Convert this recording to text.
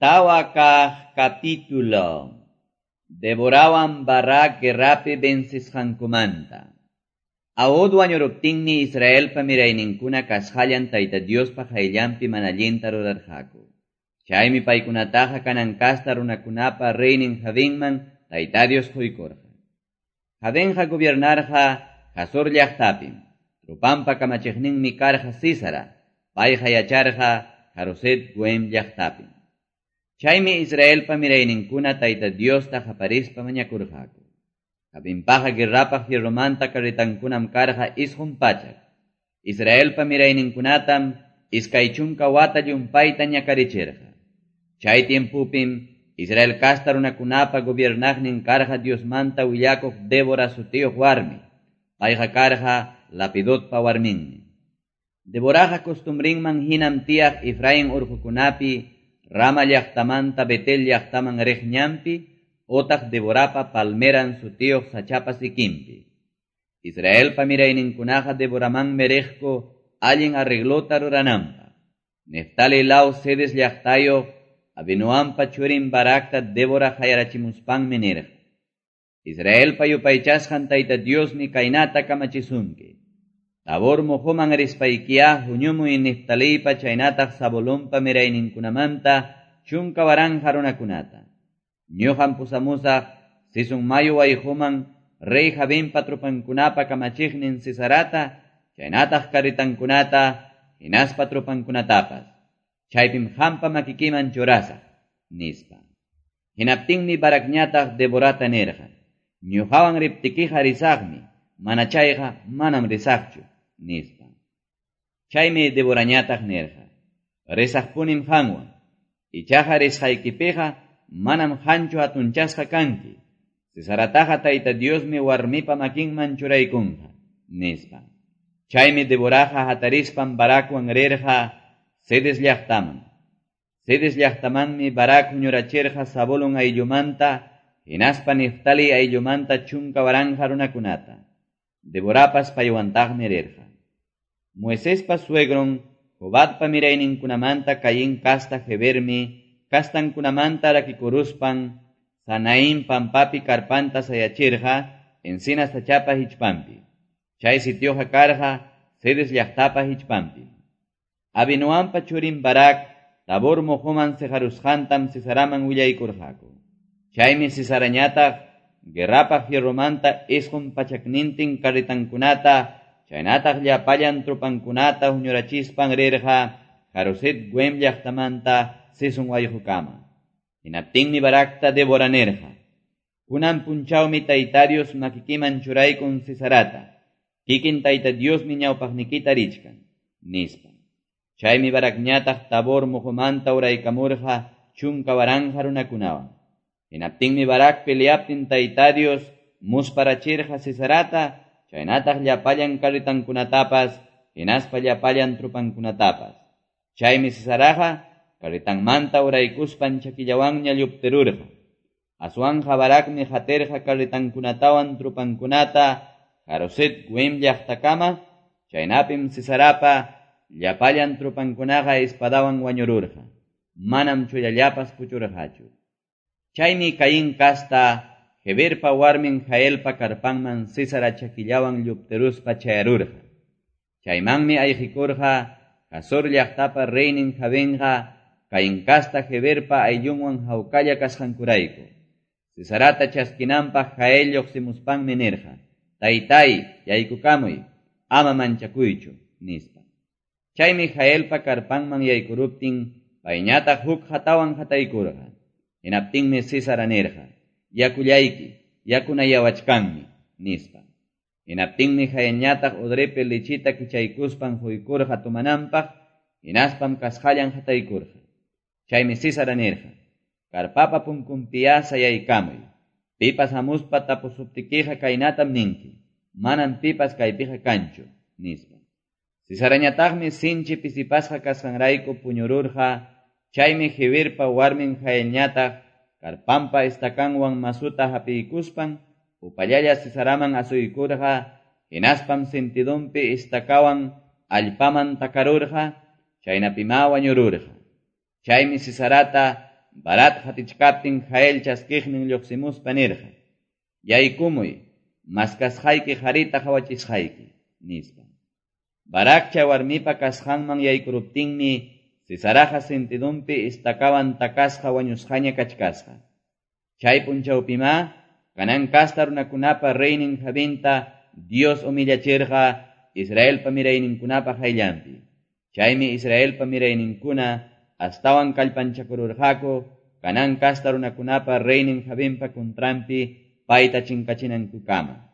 Tawa kaq capítulo. Deborawan Barak guerrapi vencisqankumanta. Ahod wañuruptinmi Israelpa mirayninkuna kasqallan Tayta Diospa qayllanpi mana allinta rurarqaku. Chaymi paykunataqa Canaán kasta runakunapa reynin Jabinman Tayta Dios quykurqa. Jabinqa gobiernarqa Hazor llaqtapim. Trupanpa kamachiqninmi karqa Sísara, payqa yacharqa Haroset Goim llaqtapim. Chaymi Israelpa mirayninkuna Tayta Diosta qaparispa mañakurqaku. Jabinpaqa guerrapaq fierromanta carretankunam karqa 900. Israelpa mirayninkunatam 20 wata llumpayta ñakarichirqa. Chay tiempupim Israel kasta runakunapa gobiernaqnin karqa Diosmanta willakuq Débora sutiyuq warmi. Payqa karqa Lapidotpa warminmi. Deboraqa costumbrinman hinam tiyaq Efraín urqukunapi Rama llaqtamanta Betel llaqtaman riq ñanpi otaq Deborapa palmeran sutiyuq sachapa sikinpi. Israelpa mirayninkunaqa Deboramanmi riqku allin arreglota rurananpaq. Neftali law Cedes llaqtayuq Abinoampa churin Barakta Débora qayarachimuspanmi nirqa: Israelpa yupaychasqan Tayta Diosmi kaynata kamachisunki. Tabor muhuman rispaykiyá huñumuy Neftaliypa chaynataq Zabulonpa mirayninkunamanta 10,000 runakunata. Ñuqam pusamusaq Sison mayu wayquman rey Jabinpa trupankunapa kamachiqnin Sisarata, chaynataq carretankunata, hinaspa trupankunatapas. Chaypim qampa makikiman churasaq, nispa. Hinaptinmi Barakñataq Deborata nirqa: Ñuqawan riptikiqa risaqmi, mana chayqa manam risaqchu, nispa. Chaymi Deborañataq nirqa: Risaqpunim qanwan, ichaqa risqaykipiqa manam qanchu hatunchasqa kanki. Sisarataqa Tayta Diosmi warmipa makinman churaykunqa, nispa. Chaymi Deboraqa hatarispan Barakwan rirqa Cedes llaqtaman. Cedes llaqtamanmi Barak huñurachirqa Zabulón ayllumanta hinaspa Neftali ayllumanta 10,000 runakunata. Deborapas paywantaqmi rirqa. Moisespa suegron Jobabpa mirayninkunamanta Caín kasta Hebermi kastankunamanta rakikuruspan Sanaín pampapi karpanta sayachirqa encina sachapa hichpanpi. Chay sitioqa karqa Cedes llaqtapa hichpanpi. Abinoampa churin Barak Tabor muhuman siqarusqantam Sisaraman willaykurqaku. Chaymi Sisarañataq guerrapaq fierromanta 900 carretankunata chaynataq llapallan trupankunata huñurachispan rirqa Haroset Goim llaqtamanta Sison wayqukama. Hinaptinmi Barakta Débora nirqa: Kunan punchawmi Tayta Dios makikiman churaykun Sisarata. Kikin Tayta Diosmi ñawpaqnikita richkan, nispa. Chaymi Barakñataq Tabor muhumanta uraykamurqa 10,000 runakunawan. Hinaptinmi Barak peleaptin Tayta Dios musparachirqa Sisarata, chaynataq llapallan carretankunatapas, hinaspa llapallan trupankunatapas. Chaymi Sisaraqa carretanmanta uraykuspan chakillawanña lluptirurqa. Aswanja Barakmi qatirqa carretankunatawan trupankunata Haroset Goim llaqtakama, chaynapim Sisarapa llapallan trupankunaqa espadawan wañururqa. Manam chullallapas puchurqachu. Chaymi Caín kasta Heberpa warmin Jaelpa karpanman Sísara chakillawan lluptiruspa chayarurqa. Chaymanmi ayqikurqa Hazor llaqtapa reynin Jabinqa Caín kasta Heberpa ayllunwan hawkalla kasqankurayku. Sisarata chaskinanpaq Jael lluqsimuspanmi nirqa: Taytay, yaykukamuy, ama manchakuychu, nispa. Chaymi Jaelpa karpanman yaykuruptin payñataq huk hatawan hataykurqa. Hinaptinmi Sísara nirqa: Yakullayki, yakunayawachkanmi, nispa. Hinaptinmi Jaelñataq odrepi lichita kichaykuspan quykurqa tumananpaq, hinaspam kasqallan hataykurqa. Chaymi Sísara nirqa: Karpapa punkunpiyá sayaykamuy. Pipas hamuspa tapusuptikiqa kaynatam ninki: Manam pipas kaypiqa kanchu, nispa. Sisarañataqmi sinchi pisipasqa kasqanrayku puñururqa. Chaymi Heberpa warmin Jaelñataq karpanpa estacanwan masuta hapiykuspan upallalla Sisaraman asuykurqa, hinaspam sentidunpi estacawan allpaman takarurqa, chaynapimá wañururqa. Chaymi Sisarata Barac qatichkaptin Jael chaskiqnin lluqsimuspa nirqa: Yaykumuy, maskasqayki qarita qawachisqayki, nispa. Barac chay warmipa kasqanman yaykuruptinmi Sisaraqa sentidonpi estacawan takasqa wañusqaña kachkasqa. Chay punchawpimá Canaán casta runakunapa reynin Jabinta Dios humillachirqa Israelpa mirayninkunapa qayllanpi. Chaymi Israelpa mirayninkuna astawan kallpanchakururqaku Canaán casta runakunapa reynin Jabinpa contranpi payta chinkachinankukama.